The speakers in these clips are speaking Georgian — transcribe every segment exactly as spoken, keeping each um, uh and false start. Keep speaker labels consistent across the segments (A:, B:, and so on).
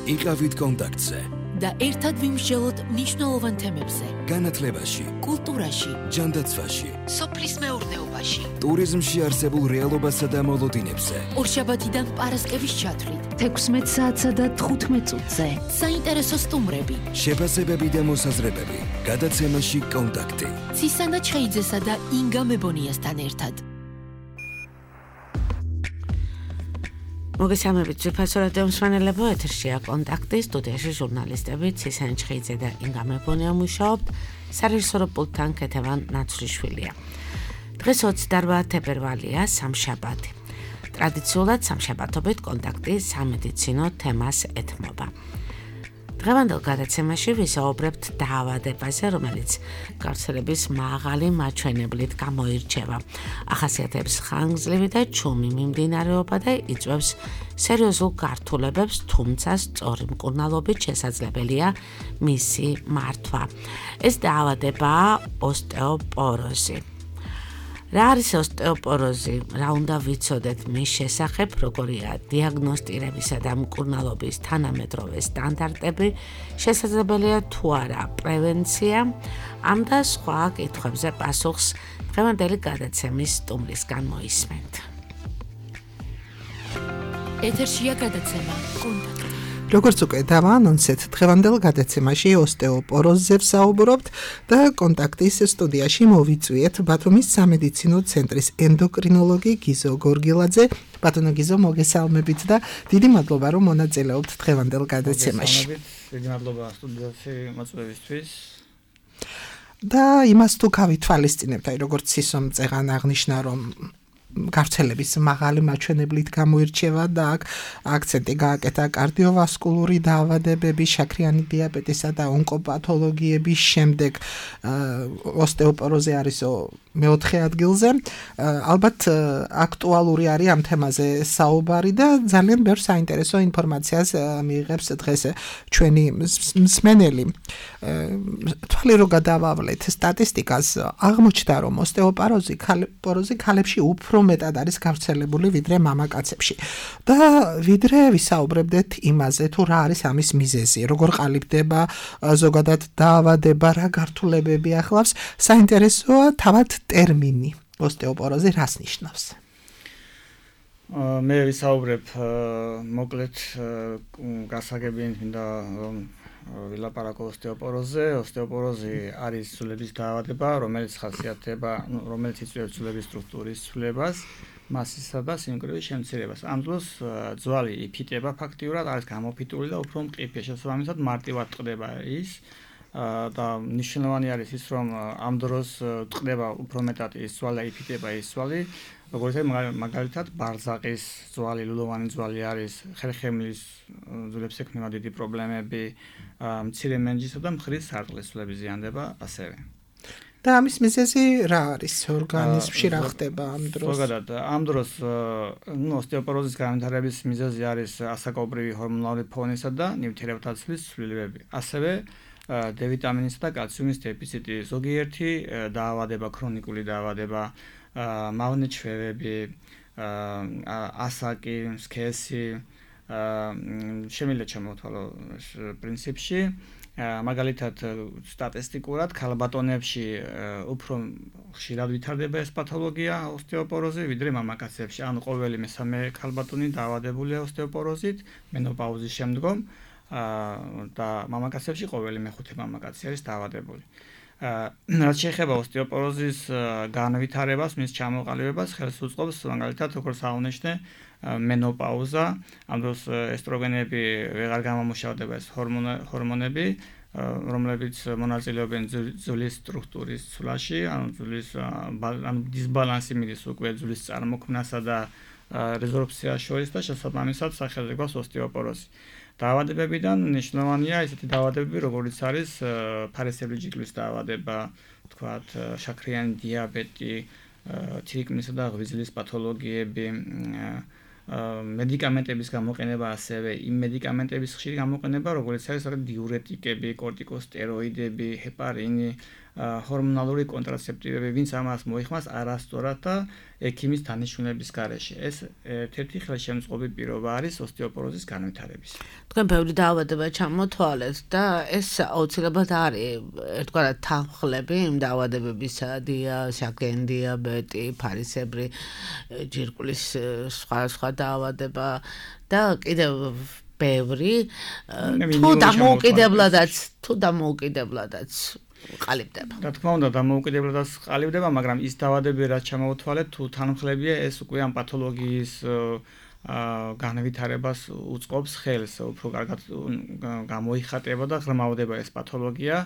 A: იყავით კონტაქტზე
B: და ერთად ვიმსჯელოთ მნიშვნელოვან თემებზე.
A: განათლებაში,
B: კულტურაში,
A: ჯანდაცვაში,
B: სოფლის მეურნეობაში,
A: ტურიზმში არსებულ რეალობასა და მოლოდინებზე.
B: ორშაბათიდან პარასკევის ჩათვლით,
C: თექვსმეტ საათსა და თხუთმეტ წუთზე.
B: საინტერესო სტუმრები,
A: შეფასებები და მოსაზრებები. გადაცემაში კონტაქტი.
B: ცისანა ჩხეიძესა და ინგა მებონიასთან ერთად.
D: მოგესალმებით ძვირფასო რადიო მსმენელებო, ეთერშია კონტაქტი, სტუდიაში ჟურნალისტები ცისანა ჩხეიძე და ინგა მებონია მუშაობთ, სარეჟისორო პულტთან ქეთევან ნაცვლიშვილია. დღეს ოცდაორ თებერვალია, სამშაბათი. ტრადიციულად სამშაბათობით კონტაქტი სამედიცინო თემას ეთმობა. დღევანდელ გადაცემაში ვისაუბრებთ დაავადებაზე, რომელიც გავრცელების მაღალი მაჩვენებლით გამოირჩევა. ახასიათებს ხანგრძლივი და ჩუმი მიმდინარეობა და იწვევს სერიოზულ გართულებებს, თუმცა სწორი მკურნალობით შესაძლებელია მისი მართვა. ეს დაავადებაა ოსტეოპოროზი. რა არის ოსტეოპოროზი? რა უნდა ვიცოდეთ მის შესახებ, როგორია დიაგნოსტირებისა და მკურნალობის თანამედროვე სტანდარტები, შესაძლებელია თუ არა პრევენცია, ამ და სხვა კითხვებზე პასუხს დღევანდელი გადაცემის სტუმრისგან მოისმენთ.
B: ეთერშია გადაცემა კონტაქტი.
E: როგორც უკვე დავაანონსეთ, დღევანდელ გადაცემაში ოსტეოპოროზზე ვსაუბრობთ და კონტაქტის სტუდიაში მოვიწვიეთ ბათუმის სამედიცინო ცენტრის ენდოკრინოლოგი გიზო გორგილაძე. ბატონო გიზო, მოგესალმებით და დიდი მადლობა, რომ მონაწილეობთ დღევანდელ გადაცემაში.
F: დიდი მადლობა სტუდიაში მოწვევისთვის.
E: და იმას თუ გავითვალისწინებთ, აი როგორც სისო მწეღან აღნიშნა, რომ გავრცელების მაღალი მაჩვენებლით გამოირჩევა და აქ აქცენტი გააკეთა კარდიოვასკულური დაავადებები, შაქრიანი დიაბეტისა და ონკოპათოლოგიების შემდეგ ოსტეოპოროზი არის მეოთხე ადგილზე. ალბათ აქტუალური არის ამ თემაზე საუბარი და ძალიან ბევრ საინტერესო ინფორმაციას მიიღებს დღეს ჩვენი მსმენელი. თვალი რო გადავავლეთ სტატისტიკას, აღმოჩნდა რომ ოსტეოპოროზი ქალებში ქალებში უფრო მეტად არის გავრცელებული ვიდრე მამაკაცებში. და ვიდრე ვისაუბრებდეთ იმაზე, თუ რა არის ამის მიზეზი, როგორ ყალიბდება ზოგადად დაავადება, რა გართულებები ახლავს, საინტერესოა თავად ტერმინი ოსტეოპოროზი რას ნიშნავს?
F: მე ვისაუბრებ მოკლედ გასაგებიათ მინდა ვილაპარაკო ოსტეოპოროზზე. ოსტეოპოროზი არის ცვლების დაავადება, რომელიც ხასიათდება, რომელიც იწვევს ცვლების სტრუქტურის ცვლებას, მასისა და სიმკვრივის შემცირებას. ამ დროს ძვალი იფიტება ფაქტიურად, არის გამოფიტული და უფრო მყიფე, შესაბამისად მარტივად ტყდება ის. და მნიშვნელოვანი არის ის, რომ ამ დროს ტყდება უფრო მეტად ის ძვალი და იფიტება ის ძვალი, როგორც მაგალითად ბარზაყის ძვალი, ლულოვანი ძვალი არის, ხერხემლის ძვლებს ექმნება დიდი პრობლემები, მცირე მენჯისა და მხრის სარტყლის ძვლები ზიანდება ასევე.
E: და ამის მიზეზი რა არის ორგანიზმში, რა ხდება ამ დროს?
F: ზოგადად ამ დროს ნუ ოსტეოპოროზის განვითარების მიზეზი არის ასაკობრივი ჰორმონული ფონისა და ნივთიერებათა ცვლის ცვლილებები. ასევე D ვიტამინისა და კალციუმის დეფიციტი, ზოგიერთი დაავადება, ქრონიკული დაავადება, მავნე-ჩვევები, ასაკი, სქესი, შემიძლია ჩამოვთვალო პრინციპში. მაგალითად სტატისტიკურად ქალბატონებში უფრო ხშირად ვითარდება ეს პათოლოგია ოსტეოპოროზი, ვიდრე მამაკაცებში. ანუ ყოველი მესამე ქალბატონი დაავადებულია ოსტეოპოროზით მენოპაუზის შემდგომ. და მამაკაცებში ყოველი მეხუთე მამაკაცი არის დაავადებული. რაც შეეხება ოსტეოპოროზის განვითარებას, მის ჩამოყალიბებას, ხელს უწყობს მაგალითად როგორც აღნიშნე მენოპაუზა, ამ დროს ესტროგენები ვეღარ გამომუშავდება, ეს ჰორმონები, რომლებიც მონაწილეობენ ძვლის სტრუქტურის ცვლაში, ანუ ძვლის ანუ დისბალანსი მიდის უკვე ძვლის წარმოქმნასა და რეზორბციას შორის და შესაბამისად სახელზე გვაქვს ოსტეოპოროზი. დაავადებებიდან მნიშვნელოვანია ესეთი დაავადებები, როგორიც არის ფარისებრი ჯიკლის დაავადება, თქვათ, შაქრიანი დიაბეტი, თირკმლისა და ღვიძლის პათოლოგიები, მედიკამენტების გამოყენება ასევე იმ მედიკამენტების ხშირი გამოყენება, როგორც არის დიურეტიკები, კორტიკოსტეროიდები, ჰეპარინი, ჰორმონალური კონტრაცეპტივები, ვინც ამას მოიხმარს არასწორად და ექიმის დანიშნულების გარეშე. ეს ერთ-ერთი ხელშემწყობი პირობა არის ოსტეოპოროზის განვითარების.
D: თქვენ ბევრი დაავადება ჩამოთვალეთ და ეს აუცილებლად არის ერთგვარად თანხლები იმ დაავადებებისა, შაქრიანი დიაბეტი, ფარისებრი ჯირკვლის სხვა სხვა დაავადება და კიდევ ბევრი თუ დამოუკიდებლადაც თუ დამოუკიდებლადაც ყალიბდება.
F: რა თქმა უნდა, დამოუკიდებლადაც ყალიბდება, მაგრამ ის დაავადებები, რაც ჩამოვთვალეთ, თუ თანხმლებია, ეს უკვე ამ პათოლოგიის განვითარებას უწყობს ხელს, უფრო კარგად გამოიხატება და ღრმავდება ეს პათოლოგია.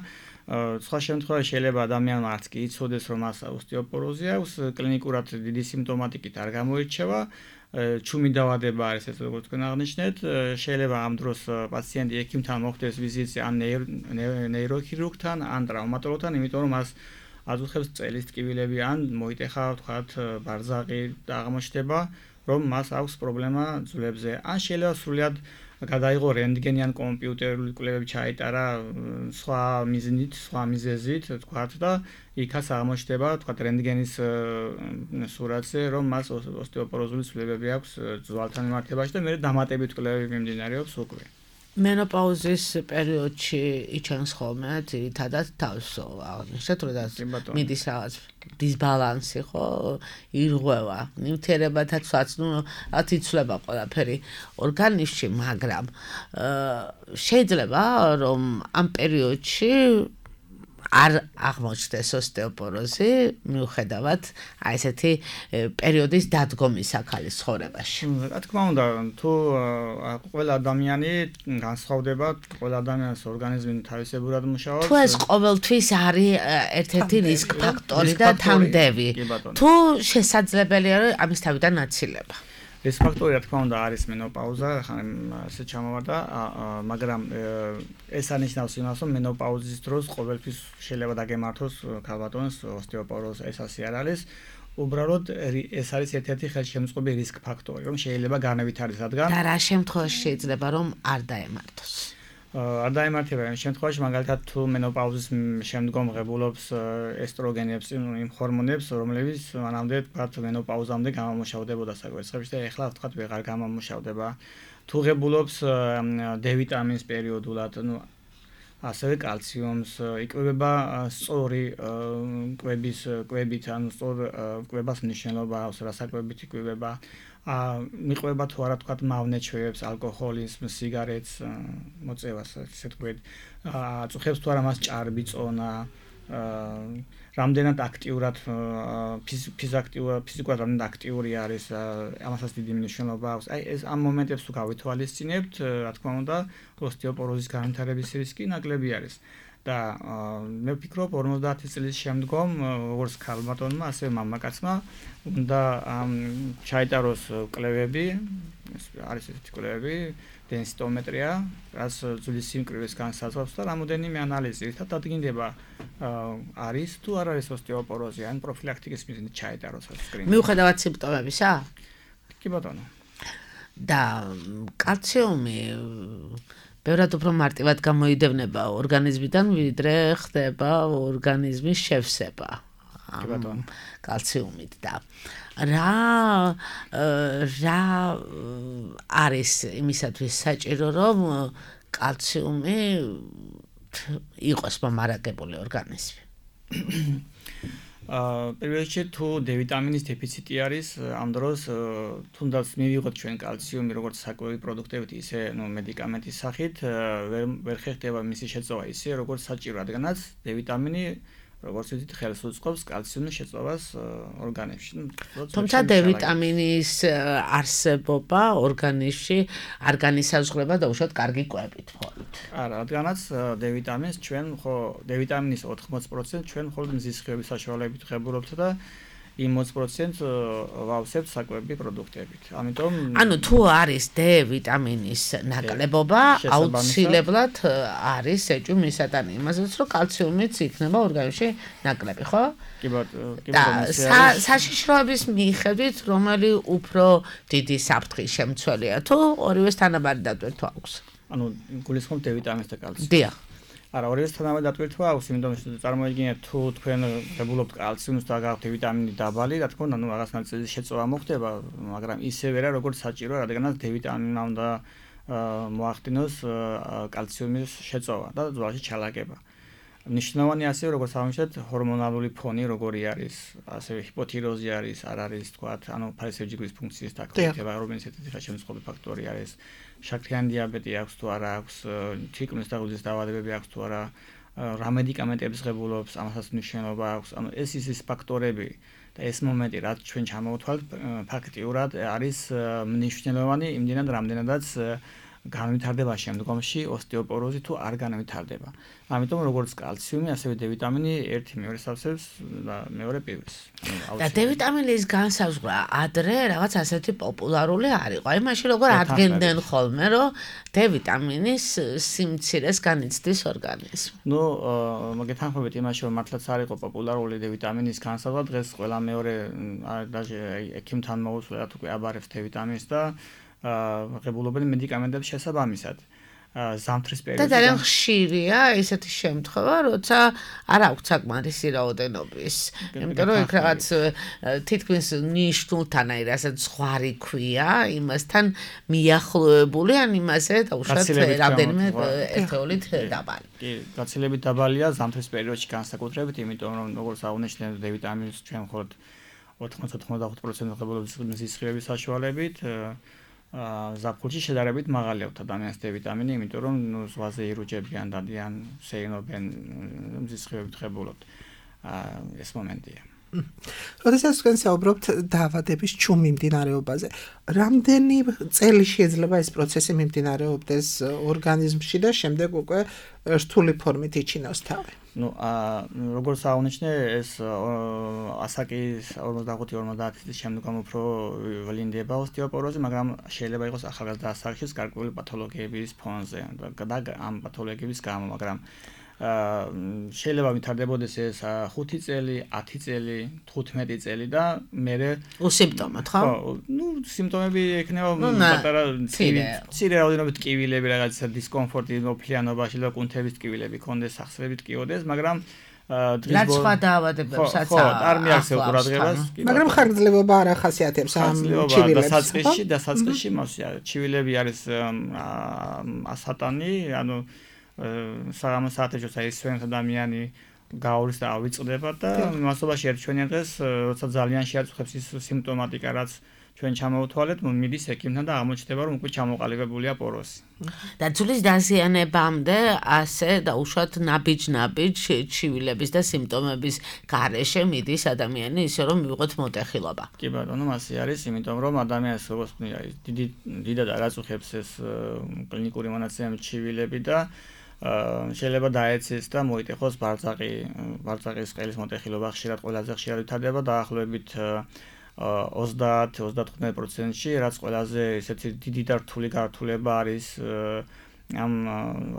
F: სხვა შემთხვევაში შეიძლება ადამიანმა არც კი იცოდეს, რომ მას ოსტეოპოროზი აქვს, კლინიკურად დიდი სიმპტომატიკით არ გამოირჩევა. ჩუმი დაავადება არის ეს, როგორც თქვენ აღნიშნეთ, შეიძლება ამ დროს პაციენტი ექიმთან მოხდეს ვიზიტზე ან ნეიროქირურგთან, ან ტრავმატოლოგთან, იმიტომ რომ მას აწუხებს წელის ტკივილები ან მოიტეხა, ვთქვათ, ბარძაყი და აღმოჩნდება, რომ მას აქვს პრობლემა ძვლებზე. ან შეიძლება სრულად გადაიღო რენტგენი ან კომპიუტერული კვლევები ჩაიტარა სხვა მიზნით, სხვა მიზეზით, ვთქვათ და იქაც აღმოჩნდება, ვთქვათ, რენტგენის სურათზე, რომ მას ოსტეოპოროზული ცვლილებები აქვს ძვალთან მიმართებაში და მე დამატებით კვლევები მიმდინარეობს უკვე.
D: მენოპაუზის პერიოდში იჩენს ხოლმე ძირითადად თავს აღნიშნეთ, როდესაც მიდის რაღაც დისბალანსი, ხო, ირღვევა, ნივთიერებათაც, ნუ ათ იცვლება ყველაფერი ორგანიზმში, მაგრამ შეიძლება რომ ამ პერიოდში არ აღმოჩნდეს ოსტეოპოროზი, მიუხედავად აი ესეთი პერიოდის დადგომის ახალი ცხოვრებაში.
F: რა თქმა უნდა, თუ ყველა ადამიანი განსხვავდება, ყველა ადამიანის ორგანიზმი თავისებურად მუშაობს.
D: თუ ეს ყოველთვის არის ერთ-ერთი რისკ ფაქტორი და თამდევი, თუ შესაძლებელია ამის თავიდან აცილება.
F: ეს ფაქტორი რა თქმა უნდა არის მენოპაუზა, ხან ესე ჩამოვარდა, მაგრამ ეს ანიშნავს იმას, რომ მენოპაუზის დროს ყოველთვის შეიძლება დაგემართოს ქალბატონს ოსტეოპოროზი, ეს ასე არ არის. უბრალოდ ეს არის ერთ-ერთი ხელშემწყობი რისკ ფაქტორი, რომ შეიძლება განავითარდეს რადგან
D: და რა შემთხვევაში შეიძლება რომ არ დაემართოს.
F: არ დაემართება იმ შემთხვევაში, მაგალითად თუ მენოპაუზის შემდგომ ღებულობს ესტროგენებს, იმ ჰორმონებს, რომლებიც მანამდე თქვათ მენოპაუზამდე გამომუშავდებოდა საკვერცხებში და ეხლა ვთქვათ ვეღარ გამომუშავდება. თუ ღებულობს D ვიტამინს პერიოდულად, ნუ ასევე კალციუმს, იკვებება სწორი კვების კვებით, ან სწორ კვებას მნიშვნელობა აქვს, რასაკვებით იკვებება. მიყვება თუ არა თქვათ მავნე ჩვევებს, ალკოჰოლის, სიგარეტს, მოწევას, ესე თქვით. აწუხებს თუ არა მას ჭარბი წონა, რამდენად აქტიურად ფიზიურად ფიზიკურად რამდენად აქტიური არის, ამასაც დიდი მნიშვნელობა აქვს. აი ეს ამ მომენტებს თუ გავითვალისწინებთ, რა თქმა უნდა, ოსტეოპოროზის განვითარების რისკი ნაკლები არის. და მე ვფიქრობ ორმოცდაათი წლის შემდგომ, როგორც ქალბატონმა, ასევე მამაკაცმა უნდა ჩაიტაროს კვლევები, არის ესეთი კვლევები, დენსიტომეტრია, რაც ძვლის სიმკვრივეს განსაზღვრავს და რამოდენიმე ანალიზი, ერთად დადგინდება არის თუ არ არის ოსტეოპოროზი, ან პროფილაქტიკის მიზნით ჩაიტაროს ეს სკრინინგი.
D: მიუხედავად სიმპტომებისა?
F: კი ბატონო.
D: და კალციუმი ბევრად უფრო მარტივად გამოიდევნება ორგანიზმიდან, ვიდრე ხდება ორგანიზმის შევსება კალციუმით და რა რა არის იმისათვის საჭირო, რომ კალციუმი იყოს მომარაგებული ორგანიზმი.
F: პირველში თუ D ვიტამინის დეფიციტი არის, ამ დროს თუნდაც მივიღოთ ჩვენ კალციუმი როგორც საკვები პროდუქტებით, ისე ნუ მედიკამენტის სახით, ვერ ხერხდება მისი შეწოვა ისე როგორც საჭირო, რადგანაც D ვიტამინი როგორც ვთქვით, ხელს უწყობს კალციუმის შეწოვას ორგანიზმში.
D: თუმცა D ვიტამინის არსებობა ორგანიზმში არ განისაზღვრება დაუშვათ კარგი კვებით მხოლოდ.
F: არა, რადგანაც D ვიტამინს ჩვენ ხო D ვიტამინის ოთხმოცი პროცენტი ჩვენ მხოლოდ მზის სხივების საშუალებით ღებულობთ და იმ ოცი პროცენტს ვავსებთ საკვები პროდუქტებით. ამიტომ
D: ანუ თუ არის D ვიტამინის ნაკლებობა, აუცილებლად არის ეჭვი მისატანი იმასაც, რომ კალციუმიც იქნება ორგანიზმში ნაკლები, ხო?
F: კი ბატონო, კი
D: ბატონო. საშიშროების მიხედვით, რომელი უფრო დიდი საფრთხის შემცველია, თუ ორივეს თანაბარი დატვირთვა აქვს?
F: ანუ გულისხმობ D ვიტამინს და კალციუმს.
D: დიახ.
F: არა, ორივეს თანაბარ დატვირთვა აქვს, იმიტომ რომ წარმოიდგინეთ თუ თქვენ ღებულობთ კალციუმს და გაქვთ ვიტამინი დაბალი, რა თქმა უნდა, ნუ რაღაც ნაწილის შეწოვა მოხდება, მაგრამ ისევე რა როგორც საჭიროა, რადგანაც დ ვიტამინმა უნდა მოახდინოს კალციუმის შეწოვა და ძვლაში ჩალაგება. ნიშნავანი ასევე როგორც აღნიშნეთ, ჰორმონალური ფონი როგორი არის, ასევე ჰიპოთიროზი არის, არ არის, თქვათ, ანუ ფარისებჯიგრის ფუნქციის დაკლებება, რომელიც ერთ-ერთი შემწყობი ფაქტორი არის. შაქრიანი დიაბეტი აქვს თუ არა აქვს, თითქმის დაღუძის დაავადებები აქვს თუ არა, რა მედიკამენტებს ღებულობს, ამასაც მნიშვნელობა აქვს. ანუ ეს ის ფაქტორები და ეს მომენტი, რაც ჩვენ ჩამოვთვალთ, ფაქტიურად არის მნიშვნელოვანი იმდენად, რამდენადაც განვითარდება შემდგომში ოსტეოპოროზი თუ არ განვითარდება. ამიტომ როგორც კალციუმი, ასევე დ ვიტამინი ერთი მეორე სავსებს და მეორე პირველს.
D: და დ ვიტამინის განსაზღვრა ადრე რაღაც ასეთი პოპულარული არ იყო. აი მაშინ როგორ ადგენდნენ ხოლმე, რომ დ ვიტამინის სიმცირეს განიცდის ორგანიზმი.
F: ნუ მოგეთანხმებით იმაში, რომ მართლაც არ იყო პოპულარული დ ვიტამინის განსაზღვრა, დღეს ყველა მეორე даже ექიმთან მოუწევთ თუ აბარებს დ ვიტამინს და ღებულობენ მედიკამენტებს შესაბამისად. ზამთრის პერიოდში
D: და ძალიან ხშირია ესეთი შემთხვევა, როცა არ აქვს საკმარისი რაოდენობის. იმიტომ რომ იქ რაღაც თითქმის ნიშნულთან აი რასაც ზღვარი ქვია, იმასთან მიახლოებული, ან იმაზე დაუშვათ რამდენიმე ერთეულით დაბალი.
F: კი, გაცილებით დაბალია ზამთრის პერიოდში განსაკუთრებით, იმიტომ რომ როგორც აღნიშნეთ, დ ვიტამინს ჩვენ მხოლოდ ოთხმოცდაოთხ პროცენტი ღებულობს მზისხიების საშუალებით. ზაფხულში შედარებით მაღალი აქვს ადამიანის დ ვიტამინი, იმიტომ რომ ნუ ზღვაზე ირუჯებიან, დადიან, სეირნობენ, მზისხიებით ღებულობთ. ეს მომენტია.
E: როდესაც თქვენ საუბრობთ დაავადების ჩუმ მიმდინარეობაზე, რამდენი წელი შეიძლება ეს პროცესი მიმდინარეობდეს ორგანიზმში და შემდეგ უკვე რთული ფორმით იჩინოს თავი?
F: ნუ როგორც აღნიშნე, ეს ასაკის ორმოცდახუთი ორმოცდაათი წლის შემდგომ უფრო ვლინდება ოსტეოპოროზი, მაგრამ შეიძლება იყოს ახალგაზრდა ასაკშიც გარკვეული პათოლოგიების ფონზე და ამ პათოლოგიების გამო, მაგრამ შეიძლება ვითარდებოდეს ეს ხუთი წელი, ათი წელი, თხუთმეტი წელი და მერე
D: უსიმპტომოდ, ხო?
F: ხო, ნუ სიმპტომები ექნება პატარა მცირე რაოდენობით ტკივილები, რაღაც დისკომფორტი მოფლიანობაში და კუნთების ტკივილები კონდეს, სახსრებით ტკივოდეს, მაგრამ
D: დღის ბოლოს რა დაავადებებსაც
F: ხო, არ მიაქცევ ყურადღებას,
E: მაგრამ ხანგრძლივობა არ ახასიათებს ამ ჩივილებს.
F: დასაწყისში, დასაწყისში მასია, ჩივილები არის ასატანი, ანუ საღამო საათებში საერთოდ ადამიანი გაურის და ავიწყდება და მასობაში ერთჩვენიან დღეს, როცა ძალიან შეაწუხებს ის სიმპტომატიკა, რაც ჩვენ ჩამოვთვალეთ, მიდის ექიმთან და აღმოჩნდება, რომ უკვე ჩამოყალიბებულია პოროზი.
D: და ძვლის დაზიანებამდე ასე დაუშვათ ნაბიჯ-ნაბიჯ ჩივილების და სიმპტომების გარეშე მიდის ადამიანი, ისე რომ მივიღოთ მოტეხილობა.
F: კი ბატონო, მასე არის, იმიტომ რომ ადამიანს როგორც ხნია, დიდი დიდად არ აწუხებს ეს კლინიკური მონაცემები ჩივილები და შეიძლება დაეცეს და მოიტეხოს ბარწაკი, ბარწაკის ყელის მოტეხილობა ხშირად ყველაზე ხშირად ვითარდება დაახლოებით ოცდაათი ოცდათხუთმეტი პროცენტში, რაც ყველაზე ესეთი დიდი და რთული გართულება არის ამ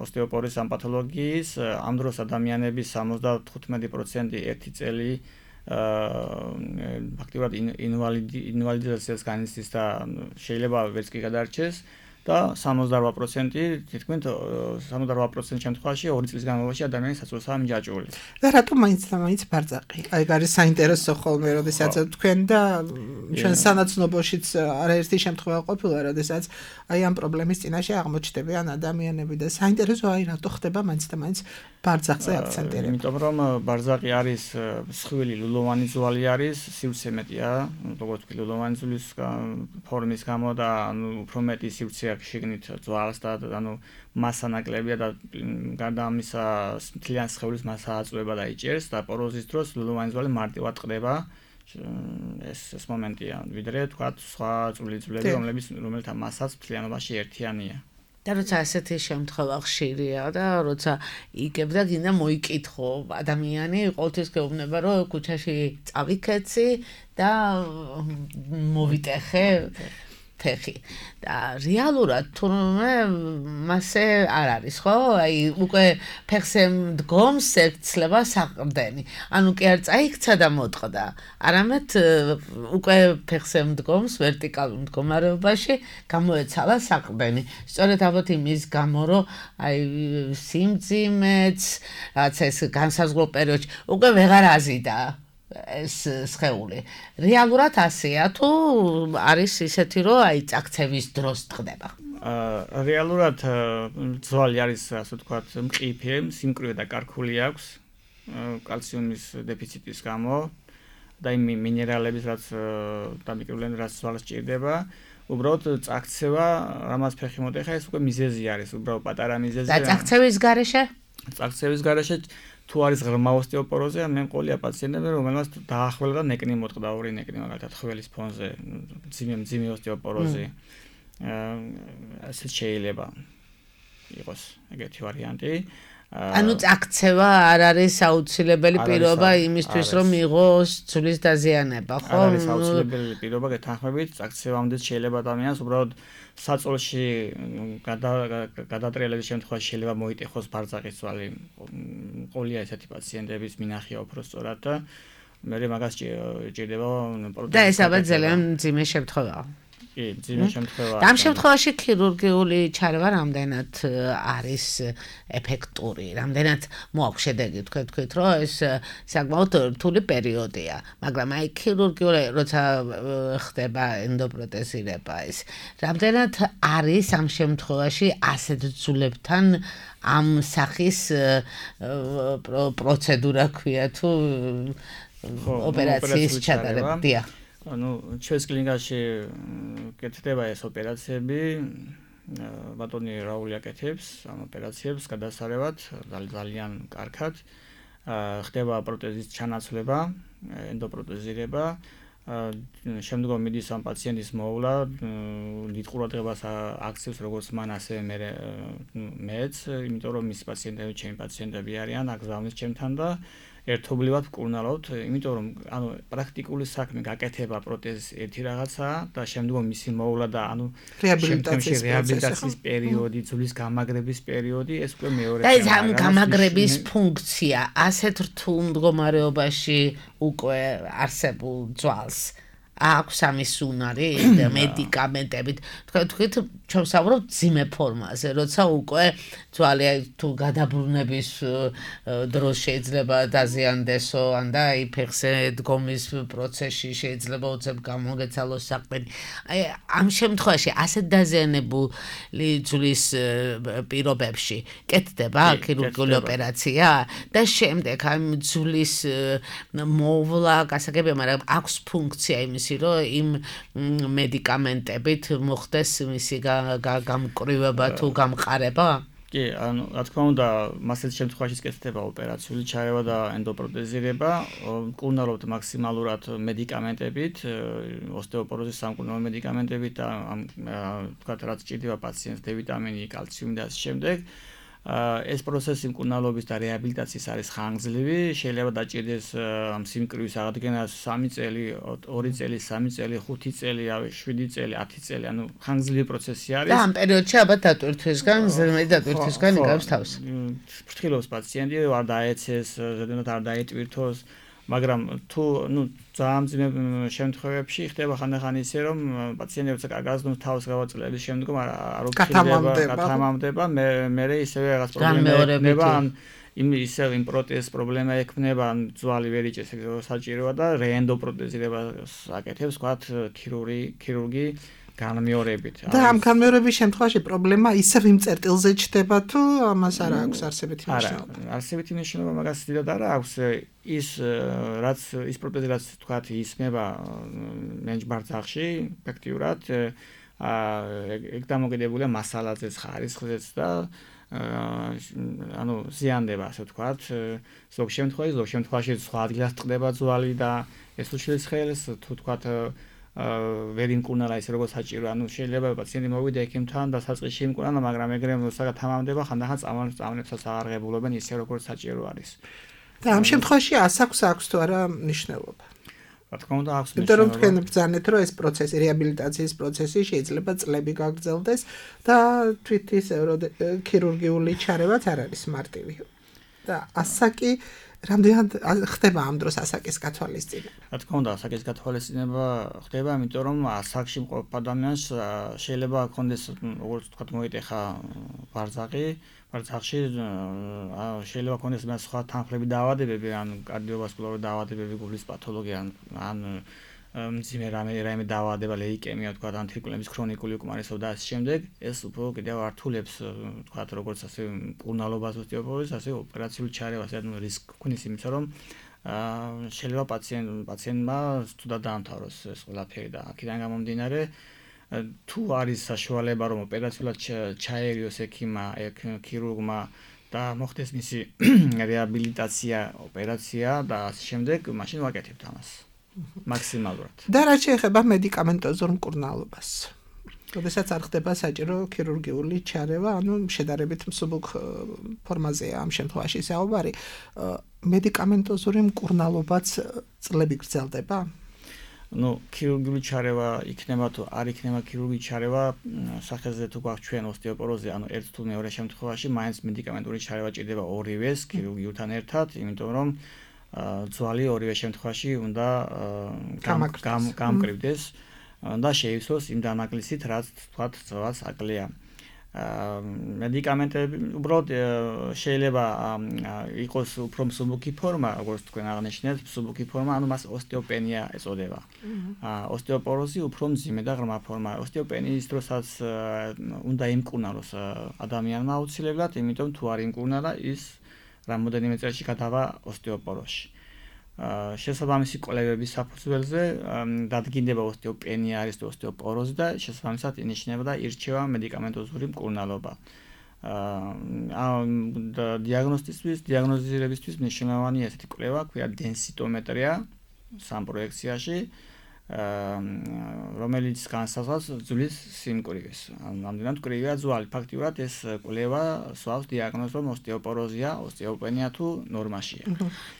F: ოსტეოპოროზის ამ პათოლოგიის. ამ დროს ადამიანების სამოცდათხუთმეტი პროცენტი ერთი წელი ფაქტიურად ინვალიდიზაციას განიცდის და შეიძლება ვერც კი გადარჩეს. და სამოცდაორ პროცენტი თითქმის სამოცდაორ პროცენტ შემთხვევაში ორი წლის განმავლობაში ადამიანის საწოლსაა მიჯაჭვული.
E: და რატომ მაინც და მაინც ბარწაკი? აი არის საინტერესო ხოლმე, როდესაც თქვენ და ჩვენ სანაცნობოშიც არაერთი შემთხვევა ყოფილა, როდესაც აი ამ პრობლემის წინაშე აღმოჩნდებიან ადამიანები და საინტერესო აი რატო ხდება მაინც და მაინც ბარწაკზე აქცენტირება.
F: იმიტომ რომ ბარწაკი არის მსხვილი ლულოვანი ძვალი არის, სივრცე მეტია, როგორც კი ლულოვანი ძვლის ფორმის გამო და ანუ უფრო მეტი სივრცე შეგნით ძვალს და ანუ მასა ნაკლებია და გარდა ამისა მთლიან სხეულის მასა აწვება და იჭერს და პოროზის დროს ლულოვანი ძვალი მარტივად ყდება. ეს ეს მომენტია, ვიდრე თქვა სხვა წვრილი ძვლები, რომლებიც რომელთა მასაც მთლიანობაში ერთიანია.
D: და როცა ასეთი შემთხვევა ხშირია და როცა იგებდა გინდა მოიკითხო ადამიანი ყოველთვის გეუბნება რომ ქუჩაში წავიქეცი და მოვიტეხე ფეხი და რეალურად თურმე მასე არ არის ხო? აი უკვე ფეხზე მდგომს ერთცლება საყრდენი. ანუ კი არ წაიქცა და მოტყდა, არამედ უკვე ფეხზე მდგომს ვერტიკალურ მდგომარეობაში გამოეცალა საყრდენი. სწორედ ალბათ იმის გამო, რომ აი სიმძიმეც, რაც ეს განსაზღვრულ პერიოდში უკვე ვეღარ აზიდა ეს სხეული. რეალურად ასეა თუ არის ისეთი, რომ აი წაქცევის დროს ტყდება?
F: აა რეალურად ძვალი არის, ასე ვთქვათ, მყიფე, სიმკვრივე და კარქული აქვს კალციუმის დეფიციტის გამო და იმ მინერალების, რაც დამიკრიბლენ, რაც ძვალს ჭირდება. უბრალოდ წაქცევა, რამაც ფეხი მოტეხა, ეს უკვე მიზეზი არის, უბრალოდ პატარა მიზეზია.
D: და წაქცევის გარეშე?
F: წაქცევის გარეშე თუ არის ღრმა ოსტეოპოროზია, მე მყოლია პაციენტები, რომელმაც დაახველა და ნეკნი მოტყდა, ორი ნეკნი მაგალითად ხველის ფონზე, მძიმე მძიმე ოსტეოპოროზი. აა ასე შეიძლება იყოს ეგეთი ვარიანტი.
D: ანუ წაქცევა არ არის აუცილებელი პირობა იმისთვის, რომ მიიღოს ძვლის დაზიანება, ხო?
F: არ არის აუცილებელი პირობა, გეთანხმებით, წაქცევამდე შეიძლება ადამიანს უბრალოდ საწოლში გადატრიალების შემთხვევაში შეიძლება მოიტეხოს ბარძაყის ძვალი. ყოლია ესეთი პაციენტების მინახია უფრო სწორად და მე მაგას ჭირდება პროტეზი.
D: და ეს ალბათ ძალიან მძიმე შემთხვევაა.
F: კი, მძიმე შემთხვევაა.
D: და ამ შემთხვევაში ქირურგიული ჩარევა რამდენად არის ეფექტური, რამდენად მოაქვს შედეგი, თქვენ თქვით, რომ ეს საკმაოდ რთული პერიოდია, მაგრამ აი ქირურგიული როცა ხდება ენდოპროტეზირება ის, რამდენად არის ამ შემთხვევაში ასეთ ძულებთან ამ სახის პროცედურა ქვია თუ ოპერაციის ჩატარება. დიახ.
F: ანუ ჩვენს კლინიკაში კეთდება ეს ოპერაციები, ბატონი რაული აკეთებს ამ ოპერაციებს გადასარევად ძალიან კარგად. ხდება პროტეზის ჩანაცვლება, ენდოპროტეზირება, შემდგომ მიდის ამ პაციენტის მოვლა, დიდ ყურადღებას აქცევს როგორც მან ასე მე მეც, იმიტომ რომ მის პაციენტები ჩემი პაციენტები არიან, აგზავნის ჩემთან და ერთობლივად ვკურნალავთ, იმიტომ რომ ანუ პრაქტიკული საქმე გაკეთება პროტეზის ერთი რაღაცაა და შემდგომ მისი მოვლა და ანუ
E: რეაბილიტაციის
F: რეაბილიტაციის პერიოდი, ძვლის გამაგრების პერიოდი, ეს უკვე მეორე.
D: და ეს ამ გამაგრების ფუნქცია ასეთ რთულ მდგომარეობაში უკვე არსებულ ძვალს აქვს ამის უნარი და მედიკამენტებით. თქვენ თქვით, ჩვენ ვსაუბრობთ ძიმე ფორმაზე, როცა უკვე ძვალი თუ გადაბრუნების დროს შეიძლება დაზიანდესო, ან და აი ფეხზე დგომის პროცესში შეიძლება უცებ გამოგეცალოს საყრდენი. აი ამ შემთხვევაში ასეთ დაზიანებული ძვლის პირობებში კეთდება ქირურგიული ოპერაცია და შემდეგ ამ ძვლის მოვლა გასაგებია, მაგრამ აქვს ფუნქცია იმის რომ იმ მედიკამენტებით მოხდეს მისი გამკრივება თუ გამყარება?
F: კი, ანუ რა თქმა უნდა, მასეთ შემთხვევაში კეთდება ოპერაციული ჩარევა და ენდოპროტეზირება, მკურნალობთ მაქსიმალურად მედიკამენტებით, ოსტეოპოროზის სამკურნალო მედიკამენტებით და ამ თქვათ რაც ჭირდება პაციენტს დე ვიტამინი, კალციუმი და ასე შემდეგ. ეს პროცესი მკურნალობის და რეაბილიტაციის არის ხანგრძლივი, შეიძლება დაჭირდეს ამ სიმკვრივის აღდგენას სამი წელი, ორი წელი, სამი წელი, ხუთი წელი, შვიდი წელი, ათი წელი, ანუ ხანგრძლივი პროცესი არის.
D: და ამ პერიოდში ალბათ დატვირთვისგან, ზედმეტ დატვირთვისგან იგავს თავს.
F: ფრთხილობს პაციენტი, არ დაეცეს, ზედმეტ არ დაეტვირთოს, მაგრამ თუ ნუ ძალიან მძიმე შემთხვევებში ხდება ხანდახან ისე რომ პაციენტი როცა გაზდოს თავს გავაწლების შემდგომ არ უხდება, გათამამდება, მე მე ისევე რაღაც პრობლემა ექნება, ან იმ ისე იმ პროტეზის პრობლემა ექნება, ან ძვალი ვერ იჭერს, საჭიროა და რეენდოპროტეზირებას აკეთებს, ვთქვათ, ქირურგი, ქირურგი განმეორებით.
E: და ამ განმეორების შემთხვევაში პრობლემა ისევ იმ წერტილზე ჩდება თუ ამას არ აქვს არსებითი მნიშვნელობა?
F: არა, არსებითი მნიშვნელობა მაგას დიდად არ აქვს. ის რაც ის პროტეზი რაც თქვათ ისმება მენჯბარძახში ეფექტიურად, ეგ დამოკიდებულია მასალაზეც, ხარისხზეც და ანუ ზიანდება, ასე ვთქვათ. ზოგ შემთხვევაში, ზოგ შემთხვევაში სხვა ადგილას ტყდება ძვალი და ეს უშლის ხელს, თუ ვთქვათ ვერ იმკურნალა ისე როგორც საჭირო, ანუ შეიძლება პაციენტი მოვიდა ექიმთან და საწყისში იმკურნალა, მაგრამ ეგრე როცა თამამდება, ხანდახან წამონებსაც აღარ ღებულობენ ისე როგორც საჭირო არის.
E: და ამ შემთხვევაში ასაკს აქვს თუ არა მნიშვნელობა?
F: რა თქმა უნდა აქვს
E: იმიტომ რომ თქვენ ბრძანეთ რომ ეს პროცესი რეაბილიტაციის პროცესი შეიძლება წლები გაგრძელდეს და თვით ის ქირურგიული ჩარევაც არ არის მარტივი და ასაკი რამდენად ხდება ამ დროს ასაკის გათვალისწინება?
F: რა თქმა უნდა, ასაკის გათვალისწინება ხდება, იმიტომ რომ ასაკში მყოფ ადამიანს შეიძლება ჰქონდეს, როგორც ვთქვათ, მოიტეხა ბარძაყი, ბარძახში შეიძლება ჰქონდეს მას სხვა თანხლები დაავადებები, ან კარდიოვასკულარული დაავადებები, გულის პათოლოგია, ან მძიმე რამე რამე დაავადება, ლეიკემია, ვთქვათ, ან თირკმლების ქრონიკული უკმარისობა და ასე შემდეგ, ეს უფრო კიდევ ართულებს, ვთქვათ, როგორც ასე მკურნალობას ოსტეოპოროზს, ასე ოპერაციული ჩარევას, ანუ რისკი გვქნის იმისა, რომ შეიძლება პაციენტ პაციენტმა თუდად დაამთავროს ეს ყველაფერი და აქედან გამომდინარე თუ არის საშუალება რომ ოპერაციულად ჩაერიოს ექიმმა, ქირურგმა და მოხდეს მისი რეაბილიტაცია, ოპერაცია და ასე შემდეგ, მაშინ ვაკეთებთ ამას. მაქსიმალურად.
E: და რაც შეეხება მედიკამენტოზურ მკურნალობას. როდესაც არ ხდება საჭირო ქირურგიული ჩარევა, ანუ შედარებით მსუბუქ ფორმაზეა ამ შემთხვევაში საუბარი, მედიკამენტოზური მკურნალობაც წლები გრძელდება?
F: ნუ ქირურგიული ჩარევა იქნება თუ არ იქნება ქირურგიული ჩარევა, სახეზე თუ გვაქვს ჩვენ ოსტეოპოროზი, ანუ ერთ თუ მეორე შემთხვევაში მაინც მედიკამენტური ჩარევა ჭირდება ორივეს ქირურგიულთან ერთად, იმიტომ რომ ძვალი ორივე შემთხვევაში უნდა გამკრივდეს და შეივსოს იმ დანაკლისით, რაც თქვათ, ძვას აკლია. მედიკამენტები უბრალოდ შეიძლება იყოს უფრო მსუბუქი ფორმა, როგორც თქვენ აღნიშნეთ, მსუბუქი ფორმა, ანუ მას ოსტეოპენია ეწოდება. ოსტეოპოროზი უფრო მძიმე და ღრმა ფორმა. ოსტეოპენიის დროსაც უნდა იმკურნალოს ადამიანმა აუცილებლად, იმიტომ თუ არ იმკურნალა, ის რამოდენიმე წელში გადავა ოსტეოპოროზში. შესაბამისი კვლევების საფუძველზე დადგინდება ოსტეოპენია არის თუ ოსტეოპოროზი და შესაბამისად ინიშნება და ირჩევა მედიკამენტოზური მკურნალობა. დიაგნოსტისთვის, დიაგნოზირებისთვის მნიშვნელოვანი ესეთი კვლევა, ქვია დენსიტომეტრია სამ პროექციაში, რომელიც განსაზღვრავს ძვლის სიმკვრივეს. ამდენად მკვრივია ძვალი. ფაქტიურად ეს კვლევა სვავს დიაგნოზს, რომ ოსტეოპოროზია, ოსტეოპენია თუ ნორმაშია.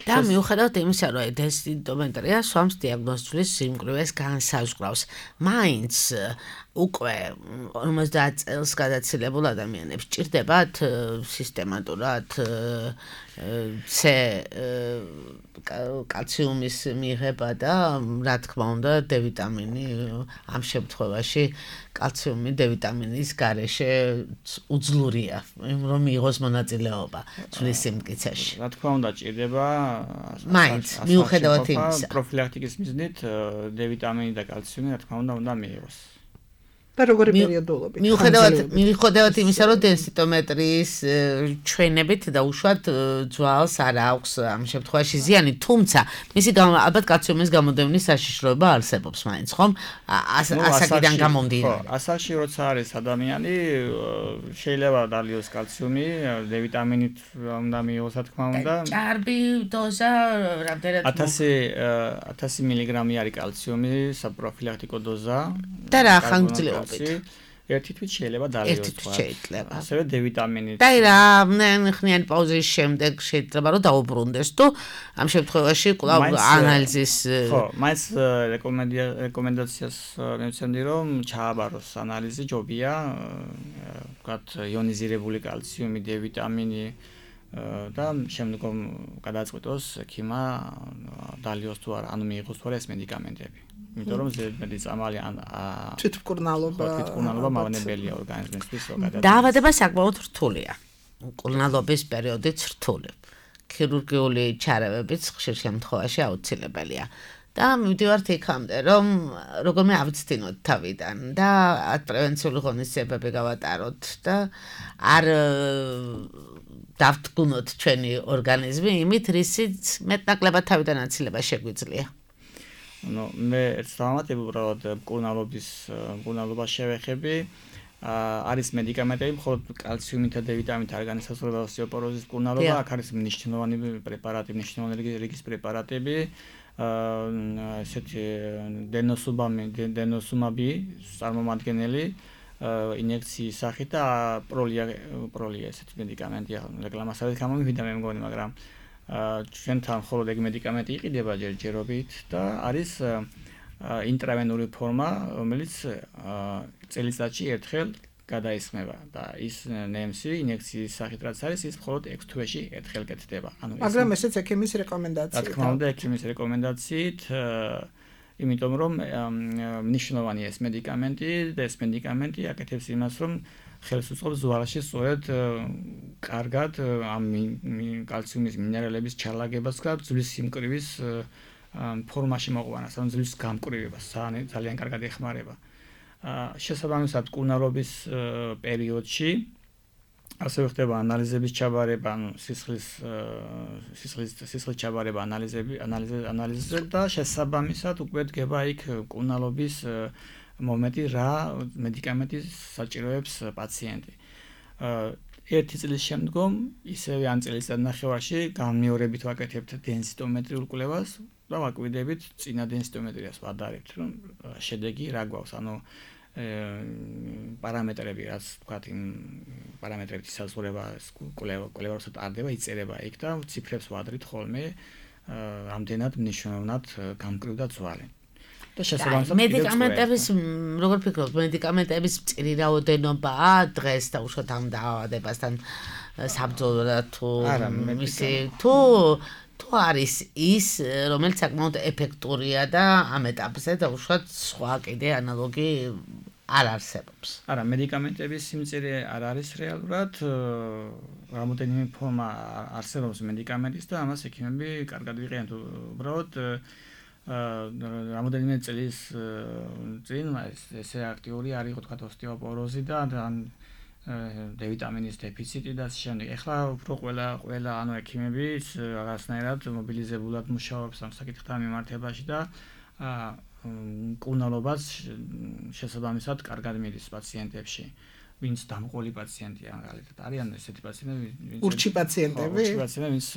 D: და მიუხედავად იმისა, რომ დენსიტომეტრია სვამს დიაგნოზს ძვლის სიმკვრივეს განსაზღვრავს, მაინც უკვე ორმოცდაათ წელს გადაცილებულ ადამიანებს ჭირდებათ სისტემატურად C კალციუმის მიღება და რა თქმა უნდა D ვიტამინი ამ შემთხვევაში კალციუმი D ვიტამინის გარეშე უძლურია რომ მიიღოს მონაწილეობა ძვლის სიმტკიცეში.
F: რა თქმა უნდა ჭირდება
D: მაინც მიუხედავად იმისა
F: პროფილაქტიკის მიზნით D ვიტამინი და კალციუმი რა თქმა უნდა უნდა მიიღოს.
E: და როგორი პერიოდულობით?
D: მიუხედავად მიუხედავად იმისა, რომ დენსიტომეტრიის ჩვენებით და უშუალოდ ძვალს არ აქვს ამ შემთხვევაში ზიანი, თუმცა მისი ალბათ კალციუმის გამოდევნის საშიშროება არსებობს მაინც, ხომ? ასაკიდან გამომდინარე.
F: ხო, ასაკში როცა არის ადამიანი, შეიძლება დალიოს კალციუმი, D ვიტამინით უნდა მიიღოს, რა თქმა უნდა.
D: ჭარბი დოზა რამდენად
F: ათასი მილიგრამი არის კალციუმი, საპროფილაქტიკო დოზა.
D: და რა ხანგრძლივობით?
F: ერთი თვით შეიძლება დალიოს.
D: ერთი თვით შეიძლება.
F: ასევე D ვიტამინით.
D: და რა ხნიანი პაუზის შემდეგ შეიძლება რომ დაუბრუნდეს თუ ამ შემთხვევაში კვლავ ანალიზის
F: ხო, მაინც რეკომენდაციას მივცემდი რომ ჩააბაროს ანალიზი ჯობია, ვთქვათ, იონიზირებული კალციუმი, D ვიტამინი და შემდგომ გადაწყვიტოს ექიმმა დალიოს თუ არა, ანუ მიიღოს თუ არა ეს მედიკამენტები. იმიტომ რომ ზედმეტი წამალი ან
E: თვითმკურნალობა
F: თვითმკურნალობა მავნებელია ორგანიზმისთვის.
D: დაავადება საკმაოდ რთულია. მკურნალობის პერიოდიც რთული. ქირურგიული ჩარევებიც ხშირ შემთხვევაში აუცილებელია. და მივდივართ იქამდე, რომ როგორმე ავიცდინოთ თავიდან და პრევენციული ღონისძიებები გავატაროთ და არ დავთგუნოთ ჩვენი ორგანიზმი იმით, რისიც მეტნაკლებად თავიდან აცილება შეგვიძლია.
F: ნუ მე ერთ დავამატებ უბრალოდ მკურნალობის მკურნალობას შევეხები. არის მედიკამენტები, მხოლოდ კალციუმით და D ვიტამინით არ განისაზღვრება ოსტეოპოროზის მკურნალობა, აქ არის მნიშვნელოვანი პრეპარატები, მნიშვნელოვანი რიგის პრეპარატები. ესეთი დენოსუმაბი, დენოსუმაბი წარმომადგენელი ინjekციის სახით და პროლია პროლია ესეთი მედიკამენტია, რეკლამასაც გამომივიდა მე მგონი, მაგრამ ჩვენთან მხოლოდ ეგ მედიკამენტი იყიდება ჯერჯერობით და არის ინტრავენური ფორმა, რომელიც წელიწადში ერთხელ გადაისხმება და ის ნემსი ინიექციის სახით რაც არის, ის მხოლოდ ექვს თვეში ერთხელ კეთდება.
E: ანუ მაგრამ ესეც ექიმის რეკომენდაციაა.
F: რა თქმა უნდა, ექიმის რეკომენდაციით, იმიტომ რომ მნიშვნელოვანია ეს მედიკამენტი და ეს მედიკამენტი აკეთებს იმას, რომ ხელს უწყობს ზვარაში სწორედ კარგად ამ კალციუმის მინერალების ჩალაგებას და ძვლის სიმკვრივის ფორმაში მოყვანას, ანუ ძვლის გამკვრივებას ძალიან კარგად ეხმარება. შესაბამისად კუნარობის პერიოდში ასევე ხდება ანალიზების ჩაბარება, ანუ სისხლის სისხლის სისხლის ჩაბარება ანალიზები ანალიზზე და შესაბამისად უკვე დგება იქ კუნალობის მომენტი რა მედიკამენტი საჭიროებს პაციენტი. ერთი წლის შემდგომ ისევე ან წელიწად ნახევარში განმეორებით ვაკეთებთ დენსიტომეტრიულ კვლევას და ვაკვირდებით წინა დენსიტომეტრიას ვადარებთ, რომ შედეგი რა გვაქვს, ანუ პარამეტრები, რაც ვთქვათ, იმ პარამეტრებით ისაზღვრება კვლევა, კვლევა როცა ტარდება, იწერება იქ და ციფრებს ვადრით ხოლმე, რამდენად მნიშვნელოვნად გამკვრივდა ძვალი. და შესაბამისად
D: მედიკამენტების, როგორ ფიქრობთ, მედიკამენტების მწირი რაოდენობაა დღეს და უშუალოდ ამ დაავადებასთან საბრძოლოდ თუ მისი თუ თუ არის ის, რომელიც საკმაოდ ეფექტურია და ამ ეტაპზე და უშუალოდ სხვა კიდე ანალოგი არ არსებობს.
F: არა, მედიკამენტების სიმწირე არ არის რეალურად, რამოდენიმე ფორმა არსებობს მედიკამენტის და ამას ექიმები კარგად ვიყენებთ. უბრალოდ რამოდენიმე წლის წინ ესე აქტიური არ იყო, თქვათ, ოსტეოპოროზი და D ვიტამინის დეფიციტი და შემდეგ. ეხლა უფრო ყველა ყველა ანუ ექიმები რაღაცნაირად მობილიზებულად მუშაობს ამ საკითხთან მიმართებაში და კუნალობას შესაბამისად კარგად მიდის პაციენტებში. ვინც დამყოლი პაციენტია, მაგალითად, არიან ესეთი პაციენტები, ვინც
E: ურჩი პაციენტები,
F: ურჩი პაციენტები, ვინც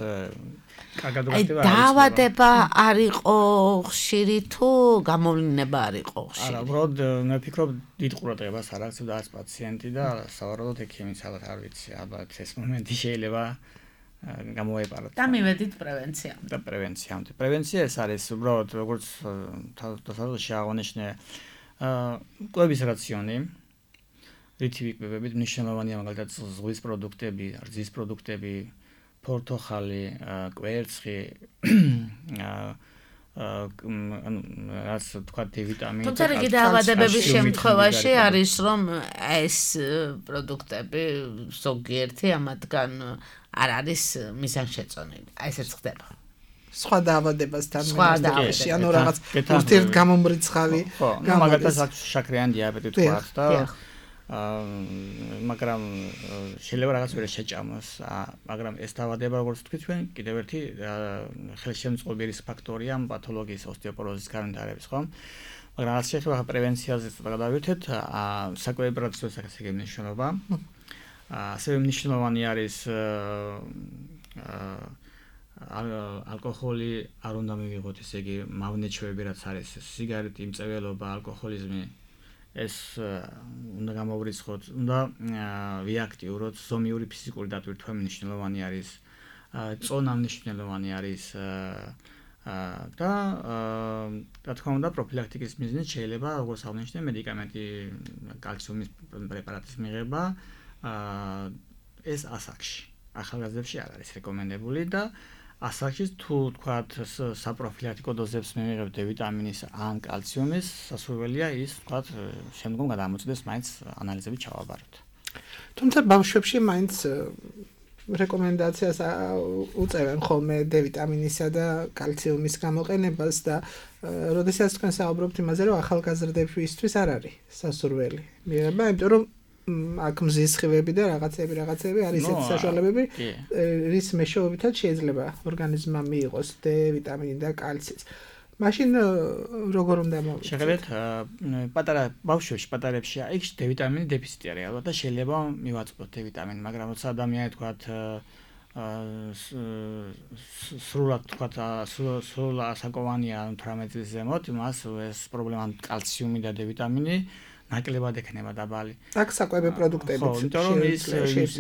F: კარგად უხდება.
D: აი, დაავადება არ იყო ხშირი თუ გამოვლინება არ იყო ხშირი?
F: არა, უბრალოდ მე ვფიქრობ, დიდ ყურადღებას არ აქცევდა ეს პაციენტი და სავარაუდოდ ექიმიც ალბათ არ ვიცი, ალბათ ეს მომენტი შეიძლება გამოეპაროთ.
D: და მივედით პრევენციამდე.
F: და პრევენციამდე. პრევენცია ეს არის უბრალოდ როგორც დასავლეთში აღნიშნე კვების რაციონი. რითი ვიკვებებით, მნიშვნელოვანია მაგალითად ზღვის პროდუქტები, რძის პროდუქტები, ფორთოხალი, კვერცხი, რაც თქვა D ვიტამინი.
D: თუმცა რიგი დაავადებების შემთხვევაში არის, რომ ეს პროდუქტები ზოგიერთი ამათგან არ არის მიზანშეწონილი. აი ესეც ხდება.
E: სხვა დაავადებასთან
D: სხვა დაავადებაში,
E: ანუ რაღაც ურთიერთგამომრიცხავი,
F: მაგალითად შაქრიანი დიაბეტი თქვათ და მაგრამ შეიძლება რაღაც ვერ შეჭამოს, მაგრამ ეს დაავადება, როგორც თქვით ჩვენ, კიდევ ერთი ხელშემწყობი რისკ ფაქტორია პათოლოგიის ოსტეოპოროზის განვითარების, ხო? მაგრამ რაც შეეხება პრევენციაზე ცოტა გადავერთეთ, საკვები პროცესის საკითხი მნიშვნელობა. ასევე მნიშვნელოვანი არის ალკოჰოლი არ უნდა მივიღოთ, ესე იგი, მავნეჩვევები რაც არის, სიგარეტი, მწვერვალობა, ალკოჰოლიზმი ეს უნდა გამოვრიცხოთ, უნდა ვიაქტიუროთ, ზომიური ფიზიკური დატვირთვა მნიშვნელოვანი არის, წონა მნიშვნელოვანი არის და რა თქმა უნდა პროფილაქტიკის მიზნით შეიძლება როგორც აღნიშნე მედიკამენტი კალციუმის პრეპარატის მიღება ეს ასაკში. ახალგაზრდებში არ არის რეკომენდებული და ასაკში თუ თქვათ საპროფილაქტიკო დოზებს მივიღებთ D ვიტამინის ან კალციუმის, სასურველია ის თქვათ შემდგომ გადამოწდეს მაინც ანალიზები ჩავაბაროთ.
E: თუმცა ბავშვებში მაინც რეკომენდაციას უწევენ ხოლმე D ვიტამინისა და კალციუმის გამოყენებას და როდესაც თქვენ საუბრობთ იმაზე, რომ ახალგაზრდებისთვის არ არის სასურველი მიღება, იმიტომ რომ აქ მზის სხივები და რაღაცები რაღაცები არის ესეთი საშუალებები, რის მეშვეობითაც შეიძლება ორგანიზმმა მიიღოს D ვიტამინი და კალციც. მაშინ როგორ უნდა მოვიცეთ?
F: შეხედეთ, პატარა ბავშვებში, პატარებში იქ D ვიტამინის დეფიციტი არის ალბათ და შეიძლება მივაწყოთ D ვიტამინი, მაგრამ როცა ადამიანი თქვათ სრულად თქვათ სრულ ასაკოვანია ათვრამეტი წლის ზემოთ, მას ეს პრობლემა კალციუმი და D ვიტამინი ნაკლებად ექნება დაბალი.
E: აქ საკვები პროდუქტებით.
F: ხო, იმიტომ რომ ის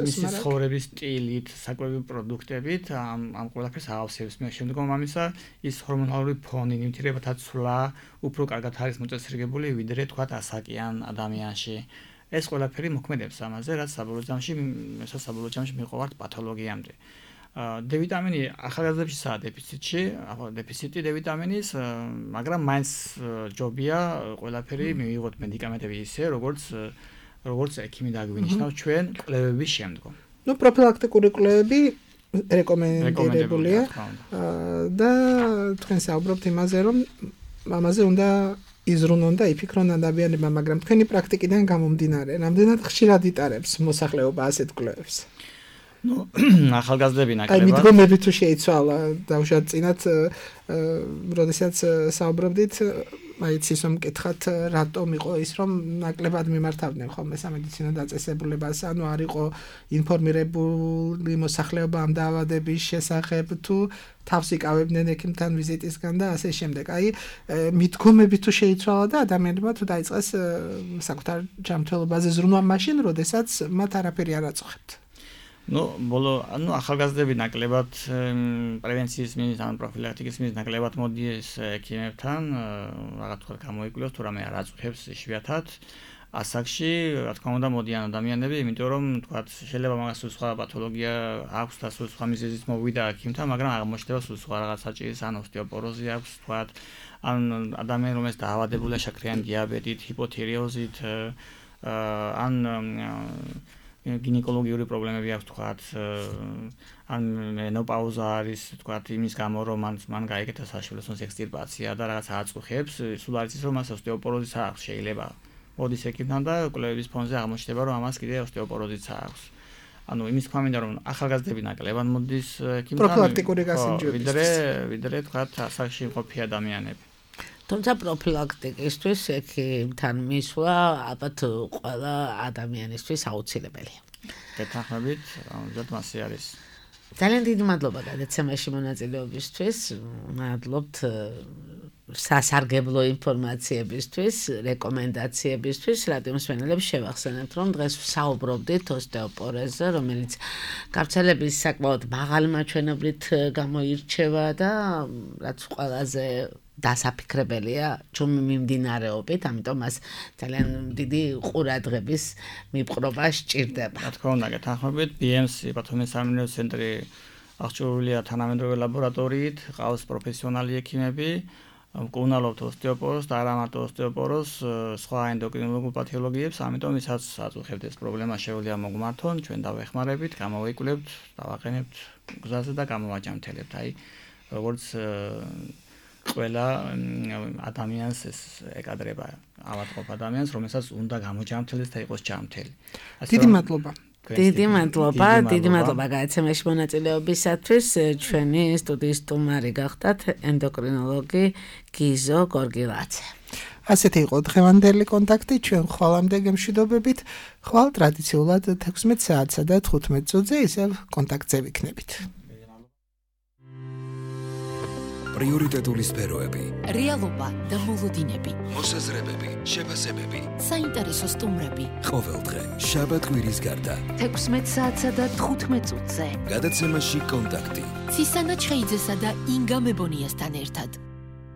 F: მისი ცხოვრების სტილით, საკვები პროდუქტებით ამ ამ ყველაფერს აავსებს. მე შემდგომ ამისა ის ჰორმონალური ფონი, ნივთიერებათა ცვლა უფრო კარგად არის მოწესრიგებული, ვიდრე თქვა ასაკიან ადამიანში. ეს ყველაფერი მოქმედებს ამაზე, რაც საბოლოო ჯამში, საბოლოო ჯამში მიყვართ პათოლოგიამდე. D ვიტამინი ახალგაზრდებისაა დეფიციტში, დეფიციტი D ვიტამინის, მაგრამ მაინც ჯობია ყველაფერი მივიღოთ მედიკამენტები ისე, როგორც როგორც ექიმი დაგვინიშნავს ჩვენ კვლევების შემდგომ.
E: ნუ პროფილაქტიკური კვლევები რეკომენდებულია და თქვენ საუბრობთ იმაზე, რომ ამაზე უნდა იზრუნონ და იფიქრონ ადამიანებმა, მაგრამ თქვენი პრაქტიკიდან გამომდინარე, რამდენად ხშირად იტარებს მოსახლეობა ასეთ კვლევებს?
F: ნუ ახალგაზრდები ნაკლებად.
E: აი მიდგომები თუ შეიცვალა დავუშვათ წინათ, როდესაც საუბრობდით, აი ცისო მკითხათ, რატომ იყო ის, რომ ნაკლებად მიმართავდნენ ხოლმე სამედიცინო დაწესებულებას, ანუ არ იყო ინფორმირებული მოსახლეობა ამ დაავადების შესახებ, თუ თავს იკავებდნენ ექიმთან ვიზიტისგან და ასე შემდეგ. აი მიდგომები თუ შეიცვალა და ადამიანებმა თუ დაიწყეს საკუთარ ჯანმრთელობაზე ზრუნვა მაშინ, როდესაც მათ არაფერი არ აწუხებთ.
F: ნუ ბოლო ანუ ახალგაზრდები ნაკლებად პრევენციის მინის ან პროფილაქტიკის მინის ნაკლებად მოდიეს ექიმებთან, რაღაც თქვა გამოიკვლიოს თუ რამე არ აწუხებს იშვიათად. ასაკში, რა თქმა უნდა, მოდიან ადამიანები, იმიტომ რომ თქვა შეიძლება მაგას სულ სხვა პათოლოგია აქვს და სულ სხვა მიზეზით მოვიდა ექიმთან, მაგრამ აღმოჩნდება სულ სხვა რაღაც საჭირის ან ოსტეოპოროზი აქვს, თქვა ან ადამიანი რომელიც დაავადებულია შაქრიანი დიაბეტით, ჰიპოთირეოზით, ან გინეკოლოგიური პრობლემები აქვს თქვათ, ან მენოპაუზა არის თქვათ იმის გამო რომ მან მან გაიგეთა საშვილოსნოს ექსტირპაცია და რაღაც აწუხებს, სულ არის ის რომ მას ოსტეოპოროზიც აქვს შეიძლება. მოდის ექიმთან და კვლევების ფონზე აღმოჩნდება რომ ამას კიდე ოსტეოპოროზიც აქვს. ანუ იმის თქმა მინდა რომ ახალგაზრდები ნაკლებად მოდის ექიმთან.
E: პროფილაქტიკური გასინჯებისთვის.
F: ვიდრე ვიდრე თქვათ ასაკში მყოფი ადამიანები.
D: თუმცა პროფილაქტიკისთვის ექიმთან მისვლა ალბათ ყველა ადამიანისთვის აუცილებელია.
F: გეთანხმებით, ამჟამად მასე არის.
D: ძალიან დიდი მადლობა გადაცემაში მონაწილეობისთვის. მადლობთ სასარგებლო ინფორმაციებისთვის, რეკომენდაციებისთვის. რადიო მსმენელებს შევახსენებთ, რომ დღეს ვსაუბრობდით ოსტეოპოროზზე, რომელიც გავრცელების საკმაოდ მაღალი მაჩვენებლით გამოირჩევა და რაც ყველაზე დასაფიქრებელია ჩვენი მიმდინარეობით, ამიტომ მას ძალიან დიდი ყურადღების მიპყრობა სჭირდება.
F: რა თქმა უნდა, გეთანხმებით, B M C პათომესამინო ცენტრი აღჭურვილია თანამედროვე ლაბორატორიით, ყავს პროფესიონალი ექიმები, მკურნალობთ ოსტეოპოროზს და არა მარტო ოსტეოპოროზს, სხვა ენდოკრინოლოგიურ პათოლოგიებს, ამიტომ ისაც აწუხებთ ეს პრობლემა შეუძლია მოგმართონ, ჩვენ დავეხმარებით, გამოვიკვლევთ, დავაყენებთ გზაზე და გამოვაჯამთელებთ. აი, როგორც ყველა ადამიანს ეს ეკადრება ავადმყოფ ადამიანს, რომელსაც უნდა გამოჯამთელდეს და იყოს ჯამთელი.
E: დიდი მადლობა.
D: დიდი მადლობა, დიდი მადლობა გადაცემაში მონაწილეობისათვის. ჩვენი სტუდიის სტუმარი გახდათ ენდოკრინოლოგი გიზო გორგილაძე.
E: ასეთი იყო დღევანდელი კონტაქტი, ჩვენ ხვალამდე გემშვიდობებით. ხვალ ტრადიციულად თექვსმეტ საათსა და თხუთმეტ წუთზე ისევ კონტაქტზე ვიქნებით.
A: პრიორიტეტული სფეროები,
B: რეალობა და მოლოდინები,
A: მოსაზრებები, შეფასებები,
B: საინტერესო სტუმრები.
A: ყოველდღე შაბათ-კვირის გარდა
C: თექვსმეტ საათსა და თხუთმეტ წუთზე.
A: გადაცემაში კონტაქტი.
B: ცისანა ჩხეიძესა და ინგა მებონიასთან ერთად.